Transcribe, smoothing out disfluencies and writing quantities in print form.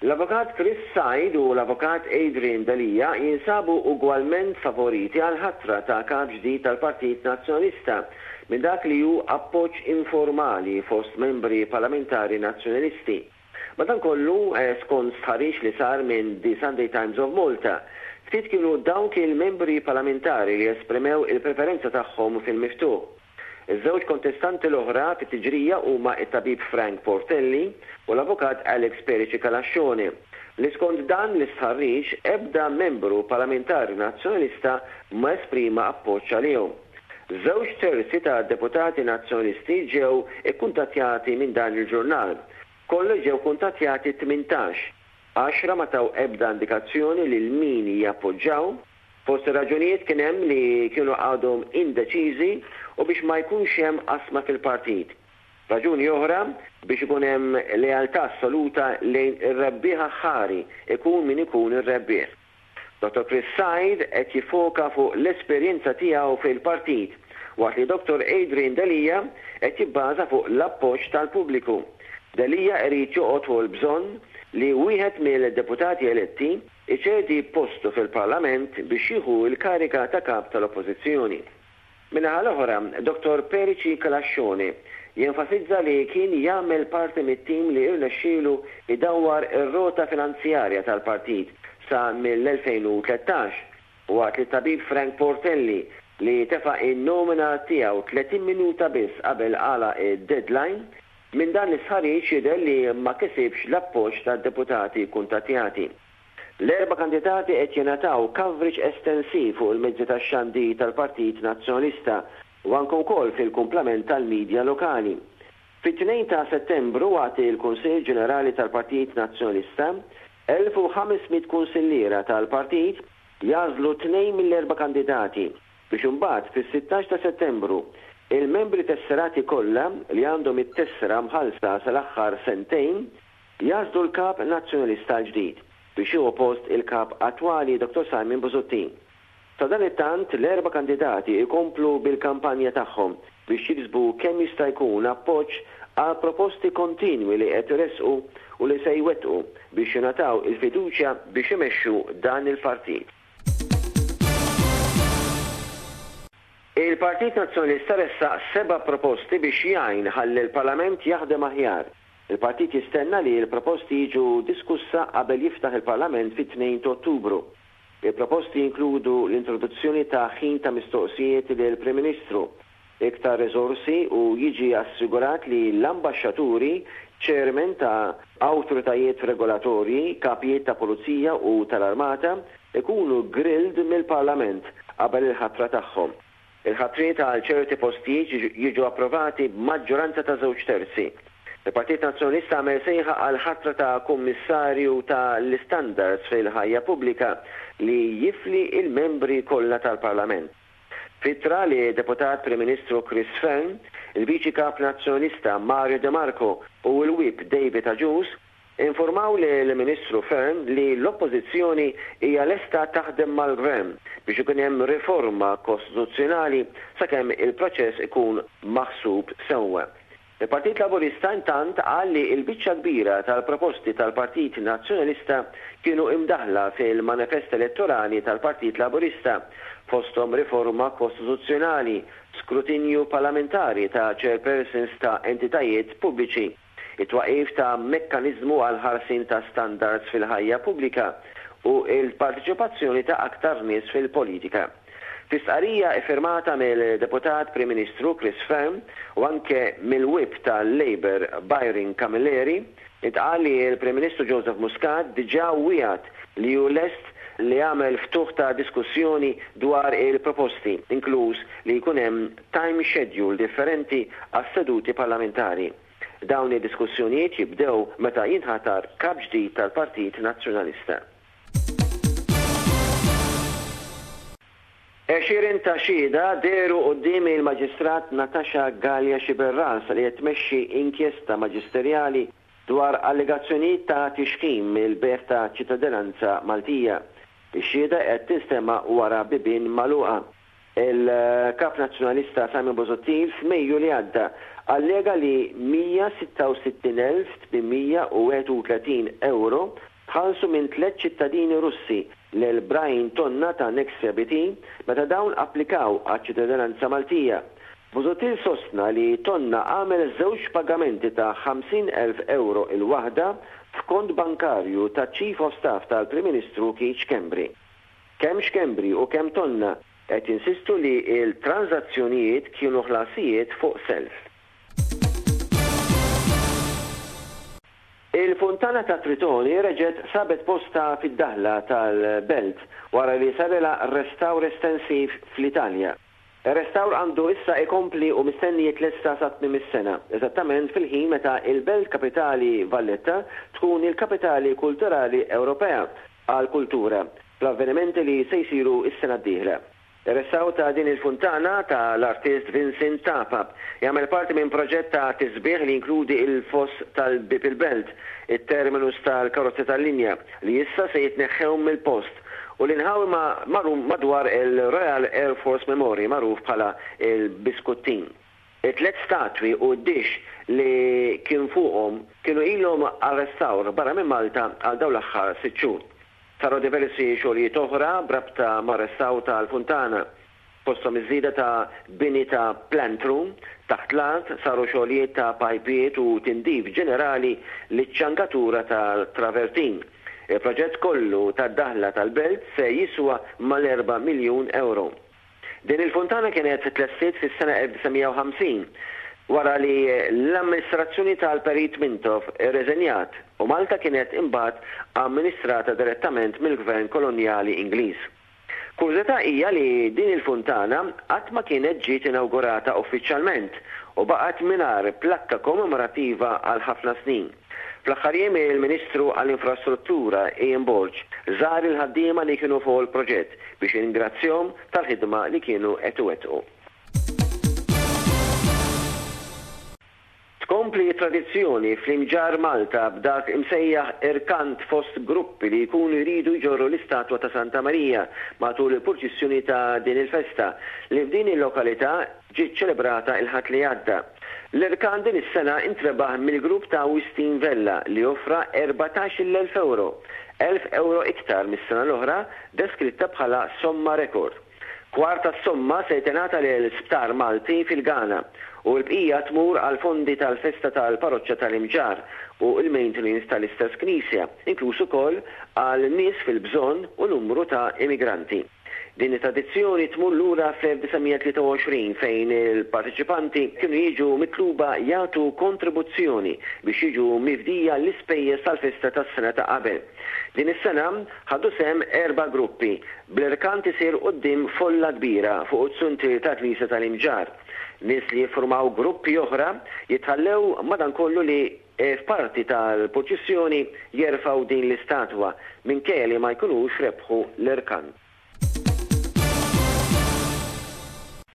L-Avukat Chris Said u l-Avukat Adrian Delia jinsabu ugwalment favoriti għall-ħatra ta' Kap ġdid tal-Partit Nazzjonalista minn dak li hu appoġġ informali fost membri parlamentari Nazzjonalisti. Madankollu, skont stħarriġ li sar minn The Sunday Times of Malta, ftit kienu dawk il-membri parlamentari li esprimew il-preferenza tagħhom fil-miftuħ. Iż-żewġ kontestanti l-oħra fit-tiġrija huma t-tabib Frank Portelli u l-avukat Alex Perici Calascione, li skont dan l-istħarriġ ebda membru parlamentari Nazzjonalista ma esprima appoġġ għalihom. Żewġ terzi ta' deputati Nazzjonalisti ġew ikkuntattjati minn dan il-ġurnal. Kollox ġew kuntattjati 18. Għaxra ma taw ebda indikazzjoni lil min jappoġġaw. Fost ir-raġunijiet kien hemm li kienu għadhom indeċiżi u biex ma jkunx hemm qasma fil-partit. Raġuni oħra, biex ikun hemm lealtà assoluta lejn ir-rebbieħ aħħari, ikun min ikun ir-rebbieħ. Dottor Chris Said qed jiffoka fuq l-esperjenza tiegħu fil-partit, waqt li Dottor Adrian Delia qed jibbaża fuq l-appoġġ tal-pubbliku. Delia irid joqgħod fuq il-bżonn li wieħed mill-deputati eletti iċedi postu fil-Parlament biex jieħu l-kariga ta' Kap tal-Oppożizzjoni. Min-naħa l-oħra, Dottor Perici Calascione jenfasizza li kien jagħmel parti mit-tim li rnexxielu jdawwar ir-rota finanzjarja tal-partit sa mill-2013, waqt li t-tabib Frank Portelli, li tefa' n-nomina tiegħu 30 minuta biss qabel għalaq id-deadline, Minn dan l-istħarriġ jidher li ma kisibx l-appoġġ tad-deputati kkuntattjati. L-erba' kandidati qed jingħataw coverage estensiv fuq il-mezzi tax-xandir tal-Partit Nazzjonalista u anke wkoll fil-kumplament tal-media lokali. Fit-tnejn ta' Settembru waqt il-Kunsill Ġenerali tal-Partit Nazzjonalista, 1,500 kunsilliera tal-partit jagħżlu tnejn mill-erba' kandidati. Biex imbagħad fis-16 ta' Settembru, il-membri tesserati kollha li għandhom it-tessera mħallsa sal-aħħar sentejn jagħżlu l-Kap Nazzjonalista l-ġdid biex jieħu post il-Kap attwali Dottor Simon Busuttil. Sadanittant l-erba' kandidati jkomplu bil-kampanja tagħhom biex jiksbu kemm jista' jkun appoġġ għall-proposti kontinwi li qed iressqu u li se jwettqu biex jingħataw il-fiduċja biex imexxu dan il-partit. Il-Partit Nazzjonalista ressaq seba' proposti biex jgħin ħalli l-Parlament jaħdem aħjar. Il-partit jistenna li l-proposti jiġu diskussa qabel jiftaħ il-Parlament fit-tnejn t'Ottubru. Il-proposti jinkludu l-introduzzjoni ta' ħin ta' mistoqsijiet lill-Prim Ministru, iktar riżorsi u jiġi assigurat li l-ambaxxaturi, chairmen ta' awtoritajiet regolatorji, kapijiet ta' pulizija u tal-armata ikunu grilled mill-Parlament qabel il-ħatra tagħhom. Il-ħatriet għal ċerti postijiet jiġu approvati b'maġġoranza ta' żewġ terzi. Il-Partit Nazzjonalista għamel sejħa għall-ħatra ta' Kummissarju ta' l-Istandards fil-Ħajja Pubblika li jifli l-membri kollha tal-Parlament. F'ittra li Deputat Prim Ministru Chris Fearne, il-Viċi Kap Nazzjonalista Mario De Marco u l-Whip David Agius infurmaw lill-Ministru Fearne li l-Oppożizzjoni hija lesta taħdem mal-Gvern biex ikun hemm riforma kostituzzjonali sakemm il-proċess ikun maħsub sewwa. Il-Partit Laburista intant qal li l-biċċa kbira tal-proposti tal-Partit Nazzjonalista kienu imdaħħla fil-manifest elettorali tal-Partit Laburista, fosthom riforma kostituzzjonali, skrutinju parlamentari ta' chairpersons ta' entitajiet pubbliċi, it-twaqqif ta' mekkaniżmu għall-ħarsien ta' standards fil-ħajja pubblika u l-parteċipazzjoni ta' aktar nies fil-politika. Fi stqarrija iffirmata mill-Deputat Prim Ministru Chris Fearne u anke mill-Whip tal-Labour Byron Camilleri, intqal li l-Prim Ministru Joseph Muscat diġà wiegħed li hu lest li jagħmel ftuħ ta' diskussjoni dwar il-proposti, inkluż li jkun hemm time schedule differenti għas-seduti parlamentari. Dawn id-diskussjonijiet jibdew meta jinħatar Kap ġdid tal-Partit Nazzjonalista. Għexieren ta' xhieda dehru quddiem il-Maġistrat Natasha Galea Sciberras li qed tmexxi inkjesta maġisterjali dwar allegazzjonijiet ta' tixħim mill-bejgħ ta' ċittadinanza Maltija. Ix-xhieda qed tinstema' wara bibien magħluqa. Il-Kap Nazzjonalista Simon Busuttil f'Mejju li għadda allega li 166,831 ewro tħallsu minn tlett ċittadini Russi lil Brian Tonna ta' Nexia BT meta dawn applikaw għaċ-ċittadinanza Maltija. Busuttil sostna li Tonna għamel żewġ pagamenti ta' 50,000 ewro il-waħda f'kont bankarju taċ-Chief of Staff tal-Prim Ministru Keith Schembri. Kemm Schembri u kemm Tonna qed jinsistu li l-tranżazzjonijiet kienu ħlasijiet fuq self. Il-Funtana ta' Tritoni reġgħet sabet postha fid-daħla tal-Belt wara li sarilha restawr estensiv fl-Italja. Ir-restawr għandu issa ikompli u mistenni jitlesta sa tmiem is-sena, eżattament fil-ħin meta l-belt kapitali Valletta tkun il-Kapitali Kulturali Ewropea għall-Kultura fl-avvenimenti li se jsiru s-sena d-dieħla. Ir-restawr ta' din il-funtana ta' l-artist Vincent Tapa jagħmel parti minn proġett ta' tisbiħ li jinkludi il-foss tal-Bieb il-Belt, it-terminus tal-karozzi tal-linja li issa se jitneħħew mill-post u l-inħawi madwar il-Royal Air Force Memorial magħruf bħala l-Biskuttin. It-tlett statwi u d-dixx li kien fuqhom kienu ilhom għar-restawr barra minn Malta għal dawn l-aħħar sitt xhur. Saru diversi xogħlijiet oħra b'rabta mar-restawr tal-funtana, fosthom iż-żieda ta' bini ta' plant room taħt l-art, saru xogħlijiet ta' pajpijiet u tindif ġenerali liċ-ċangatura tal-travertin. Il-proġett kollu tad-daħla tal-belt se jiswa mal-erba' miljun ewro. Din il-funtana kienet tlestiet fis-sena 1950, wara li l-amministrazzjoni tal-Perit Mintoff irreżenjat u Malta kienet imbagħad amministrata direttament mill-Gvern Kolonjali Ingliż. Kurżità hija li din il-funtana qatt ma kienet ġiet inawgurata uffiċjalment u baqgħet mingħajr plakka kommemorattiva għal ħafna snin. Fl-aħħar jiem il-Ministru għall-Infrastruttura Ian Borg żar il-ħaddiema li kienu fuq il-proġett biex jirringrazzjahom tal-ħidma li kienu qed iwettqu. Tkompli t-tradizzjoni fl-Imġarr Malta b'dak imsejjaħ irkant fost gruppi li jkunu jridu jġorru l-istatwa ta' Santa Marija matul il-purċissjoni ta' din il-festa li f'din il-lokalità ġiet ċelebrata il-Ħadd li għadda. L-irkant din is-sena intrebaħ mill-grupp ta' Wistin Vella li offra 14,000 ewro, 1,000 ewro iktar mis-sena l-oħra deskritta bħala somma rekord. Kwart tas-somma se tingħata lil sptar Malti fil-Ghana u l-bqija tmur għall-fondi tal-festa tal-Paroċċa tal-Imġarr u l-maintenance tal-istess knisja, inkluż ukoll għal nies fil-bżonn u numru ta' immigranti. Din it-tradizzjoni tmur lura fl-1923 fejn il-parteċipanti kienu jiġu mitluba jagħtu kontribuzzjoni biex jiġu mifdija l-ispejjeż tal-festa tas-sena ta' qabel. Din is-sena ħadu sehem erba' gruppi, bl-irkant isir quddiem folla kbira fuq it-zuntier tal-knisja tal-Imġarr. Nies li jiffurmaw gruppi oħra jitħallew madankollu li f'parti tal-purċissjoni jerfgħu din l-istatwa minkejja li ma jkunux rebħu l-irkant.